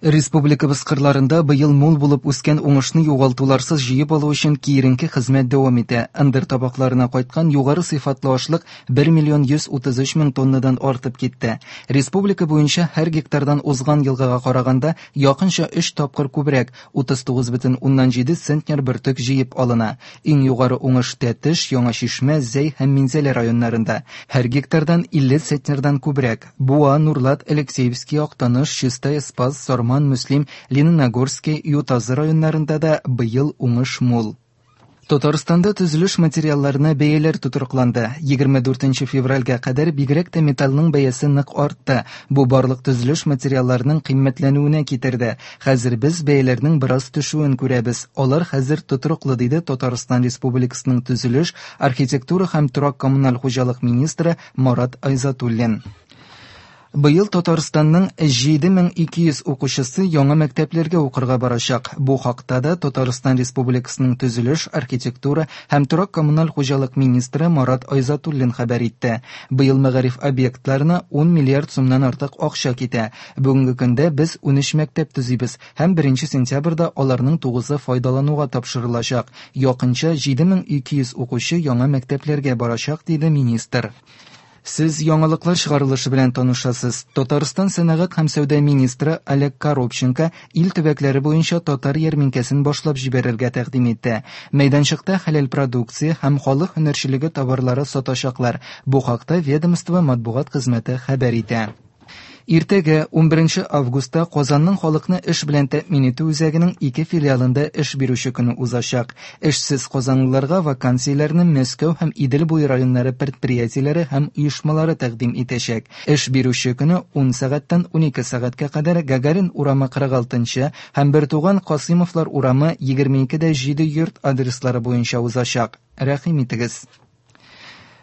Республикабыз кырларында быел мул булып үскән уңышны югалтуларсыз җыеп алу өчен киеренке хезмәт дәвам итә. Ындыр табакларына кайткан югары сыйфатлы ашлык 1 миллион 133 мең тоннадан артып китте. Республика буенча һәр гектардан узган елгыга караганда якынча 3 тапкыр күбрәк, 39,7 центнер бөртек җыеп алына. Иң югары уңыш Тәтеш, Яңа Чишмә, Зәй һәм Минзәлә районнарында. Һәр гектардан 50 центнердан күбрәк. Буа, Нурлат, Алексеевский, Актаныш, Чистай, Спас, Сарман, Мөслим, Лениногорский, Ютазы районнарында да быел уңыш мул. Татарстанда төзелеш материалларына бәяләр тотрыкланды. 24 февральгә кадәр бигрәк тә металлның бәясе нык артты. Бу барлык төзелеш материалларының кыйммәтләнүенә китерде. Хәзер без бәяләрнең бераз төшүен күрәбез. Алар хәзер тотрыклы, диде Татарстан Республикасының төзелеш, архитектура һәм торак-коммуналь хуҗалык министры Марат Айзатуллин. Быел Татарстанның 7200 укучысы яңа мәктәпләргә укырга барачак. Бу хакта да Татарстан Республикасының төзелеш, архитектура һәм торак-коммуналь хуҗалык министры Марат Айзатуллин хәбәр итте. Быел мәгариф объектларына 10 миллиард сумнан артык акча китә. Бүгенге көндә без 13 мәктәп төзибез һәм 1 сентябрьдә аларның 9-ы файдалануга тапшырылачак. Якынча 7200 укучы яңа мәктәпләргә барачак, диде министр. Сез яңалыклар чыгарылышы белән танышасыз. Татарстан сәнәгать һәм сәүдә министры Олег Коробченко ил төбәкләре буенча татар ярминкәсен башлап җибәрергә тәкъдим итте. Мәйданчыкта хәләл продукция һәм халык һөнәрчелеге товарлары сатачаклар. Бу хакта ведомство матбугат хезмәте хәбәр итә. Иртәгә, 11 августта, Казанның халыкны эш белән тәэмин итү үзәгенең ике филиалында эш бирүче көне узачак. Эшсез казанлыларга вакансияләрне Мәскәү һәм Идел буе районнары предприятиеләре һәм оешмалары тәкъдим итәчәк. Эш бирүче көне 10 сәгатьтән 12 сәгатькә кадәр Гагарин урамы 46 нчы һәм Бертуган Касыймовлар урамы 22 дә 7 йорт адреслары буенча узачак. Рәхим итегез!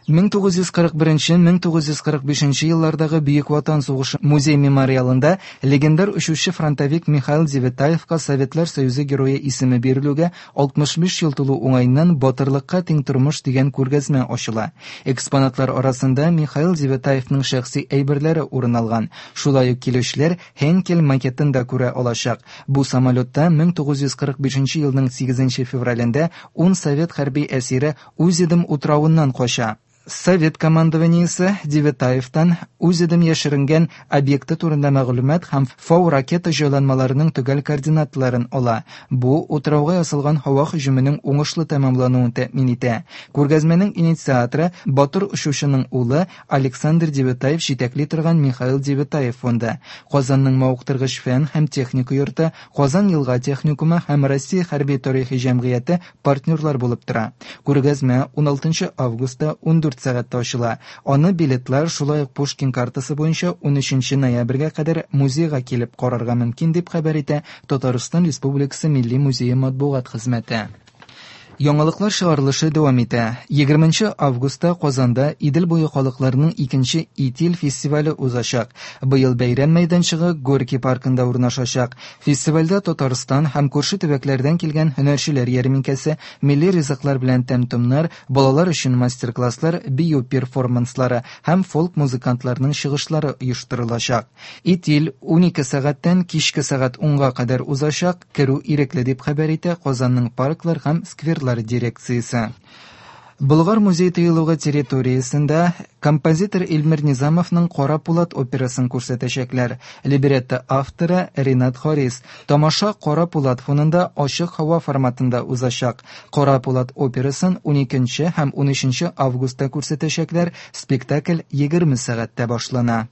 1941-1945 еллардагы Бөек Ватан сугышы музей-мемориалында легендар очучы-фронтовик Михаил Девятаевка Советлар Союзы Герое исеме бирелүгә 65 ел тулу уңаеннан Батырлыкка тиң тормыш дигән күргәзмә ачыла. Экспонатлар арасында Михаил Девятаевның шәхси әйберләре урын алган. Шулай ук килүчеләр Хенкель макетын да күрә алачак. Бу самолетта 1945 елның 8 февралендә ун совет хәрби әсире Узедом утравыннан кача. Совет командованиесе Девятаевтан Узедом яшеренгән объекты турында мәгълүмат һәм Фау ракета җайланмаларының төгәл координаталарын ала. Бу утрауга ясалган һава һөҗүменең уңышлы тәмамлануын тәэмин итә. Күргәзмәнең инициаторы, батыр очучының улы Александр Девятаев җитәкли торган Михаил Девятаев фонды, Казанның мавыктыргыч фән һәм техника йорты, Казан елга техникумы һәм Россия хәрби-тарихи җәмгыяте партнерлар булып тора. Күргәзмә 16 августта 14 сәгатьтә ачыла. Аны билетлар, шулай ук Пушкин картасы буенча 13 ноябрьгә кадәр музейга килеп карарга мөмкин, дип хәбәр итә Татарстан Республикасы Милли музее матбугат хезмәте. Яңалыклар чыгарылышы дәвам итә. 20 августта Казанда Идел буе халыкларының икенче Итил фестивале узачак. Быел бәйрәм мәйданчыгы Горький паркында урнашачак. Фестивальдә Татарстан һәм күрше төбәкләрдән килгән һөнәрчеләр ярминкәсе, милли ризыклар белән тәм-томнар, балалар өчен мастер-класслар, бию перформанслары һәм фолк-музыкантларның чыгышлары оештырылачак. Итил 12 сәгатьтән кичке сәгать унга кадәр узачак, керү ирекле, дип хәбәр итә Казанның парклар һәм скверлар дирекциясе. Болгар музей-тыюлыгы территориясендә композитор Эльмир Низамовның Кара пулат операсын күрсәтәчәкләр. Либретто авторы Ринат Харис. Тамаша Кара пулат фонында ачык һава форматында узачак. Кара пулат операсын 12 һәм 13 августта күрсәтәчәкләр. Спектакль 20 сәгатьтә башлана.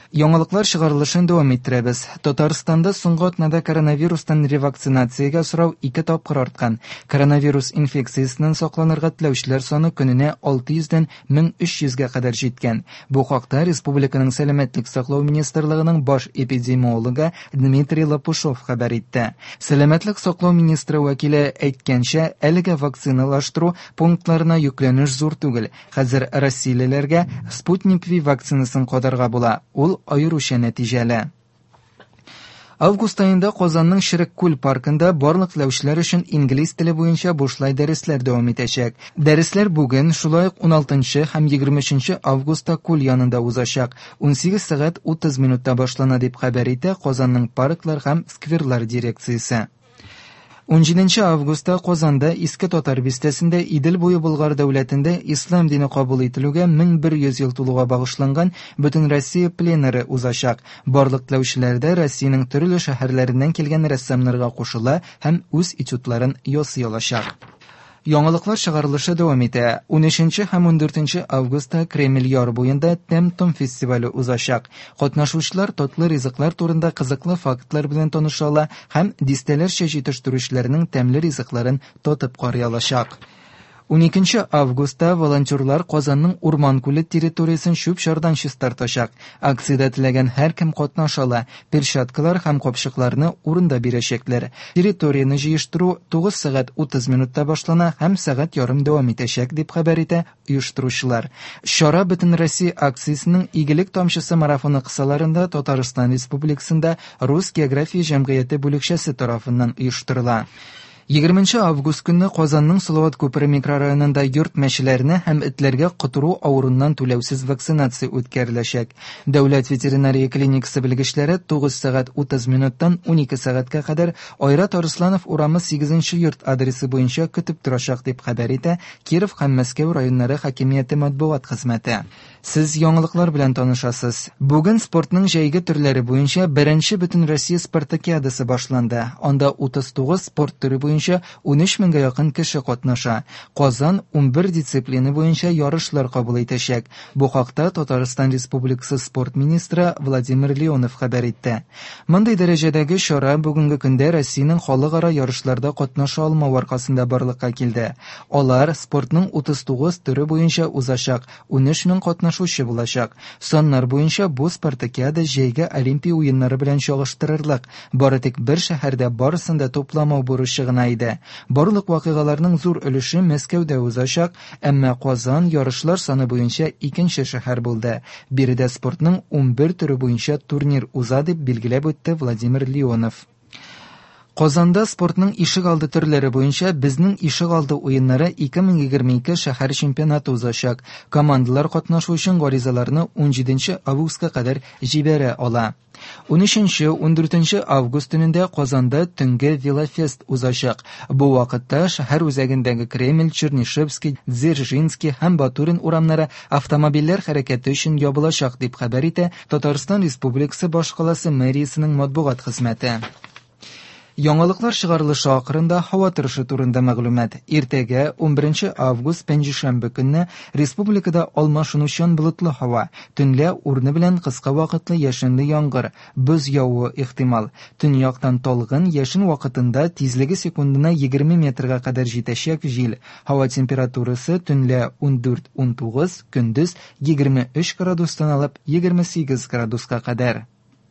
Яңалыклар чыгарылышын дәвам иттерәбез. Татарстанда соңгы атнада коронавирустан ревакцинациягә сорау ике тапкыр арткан. Коронавирус инфекциясеннән сакланырга теләүчеләр саны көненә 600 дән 1300 гә кадәр җиткән. Бу хакта республиканың Сәламәтлек саклау министрлыгының баш эпидемиологы Дмитрий Лопушов хәбәр итте. Сәламәтлек саклау министры вәкиле әйткәнчә, әлегә вакциналаштыру пунктларына йөкләнеш зур түгел. Хәзер россиялеләргә Спутник V вакцинасын кадарга була, ул аеруча нәтиҗәле. Август аенда Казанның Черек күл паркында барлык теләүчеләр өчен инглиз теле буенча бушлай дәресләр дәвам итәчәк. Дәресләр бүген, шулай ук 16 һәм 23 августта күл янында узачак. 18 сәгать 30 минутта башлана, дип хәбәр итә Казанның парклар һәм скверлар дирекциясе. 17 августта Казанда Иске Татар бистәсендә Идел буе Болгар дәүләтендә ислам дине кабул ителүгә 1100 ел тулуга багышланган Бөтенроссия пленэры узачак. Барлык теләүчеләр дә Россиянең төрле шәһәрләреннән килгән рәссамнарга кушыла һәм үз этюдларын ясый алачак. Яңалыклар чыгарылышы дәвам итә. 13 һәм 14 августта Кремль яр буенда Тәм-том фестивале узачак. Катнашучылар татлы ризыклар турында кызыклы фактлар белән таныша ала һәм дистәләрчә җитештерүчеләрнең тәмле ризыкларын татып карый алачак. 12 августта волонтерлар Казанның Урман күле территориясен чүп-чардан чистартачак. Акциядә теләгән һәркем катнаша ала. Перчаткалар һәм капчыкларны урында бирәчәкләр. Территорияне җыештыру 9 сәгать 30 минутта башлана һәм сәгать ярым дәвам итәчәк, дип хәбәр итә оештыручылар. Чара Бөтенроссия акциясенең Игелек тамчысы марафоны кысаларында Татарстан Республикасында Рус география җәмгыяте бүлекчәсе тарафыннан оештырыла. 20 август көнне Казанның Салават күпере микрорайонында йорт мәчеләренә һәм этләргә котыру авыруыннан түләүсез вакцинация үткәреләчәк. Дәүләт ветеринария клиникасы белгечләре 9 сәгать 30 минуттан 12 сәгатькә кадәр Айрат Арысланов урамы 8 йорт адресы буенча көтеп торачак, дип хәбәр итә Киров һәм Мәскәү районнары хакимияте матбугат хезмәте. Сез яңалыклар белән танышасыз. Бүген спортның җәйге төрләре буенча беренче Бөтенроссия спартакиадасы башланды. Анда 39 спорт төре буенча 13 меңгә якын кеше катнаша. Казан 11 дисциплина буенча ярышлар кабул итәчәк. Бу хакта Татарстан Республикасы спорт министры Владимир Леонов хәбәр итте. Мондый дәрәҗәдәге чара бүгенге көндә Россиянең халыкара ярышларда катнаша алмау аркасында барлыкка килде. Алар спортның 39 төре буенча узачак. 13 мең катнашучы булачак. Саннар буенча бу спартакиада җәйге Олимпия уеннары белән чагыштырырлык. Бары тик бер шәһәрдә барысын да тупламау бурычы гына иде. Барлык вакыйгаларның зур өлеше Мәскәүдә узачак, әмма Казан ярышлар саны буенча икенче шәһәр булды. Биредә спортның 11 төре буенча турнир уза, дип билгеләп үтте Владимир Леонов. Казанда спортның ишек алды төрләре буенча Безнең ишек алды уеннары 2022 шәһәр чемпионаты узачак. Командалар катнашу өчен гаризаларны 17 августка кадәр җибәрә ала. 13-14 август төнендә Казанда төнге велофест узачак. Бу вакытта шәһәр үзәгендәге Кремль, Чернышевский, Дзержинский һәм Батурин урамнары автомобильләр хәрәкәте өчен ябылачак, дип хәбәр итә Татарстан Республикасы башкаласы мэриясенең матбугат хезмәте. Яңалыклар чыгарылышы ахырында һава торышы турында мәгълүмат. Иртәгә 11 август пәнҗешәмбе көнне республикада алмашынучан болытлы һава, төнлә урыны белән кыска вакытлы яшенле яңгыр, боз явуы ихтимал. Төньяктан талгын яшен вакытында тизлеге секундына 20 метрга кадәр җитәчәк җил. Һава температурасы төнлә 14-19, көндез 23 градустан алып 28 градуска кадәр.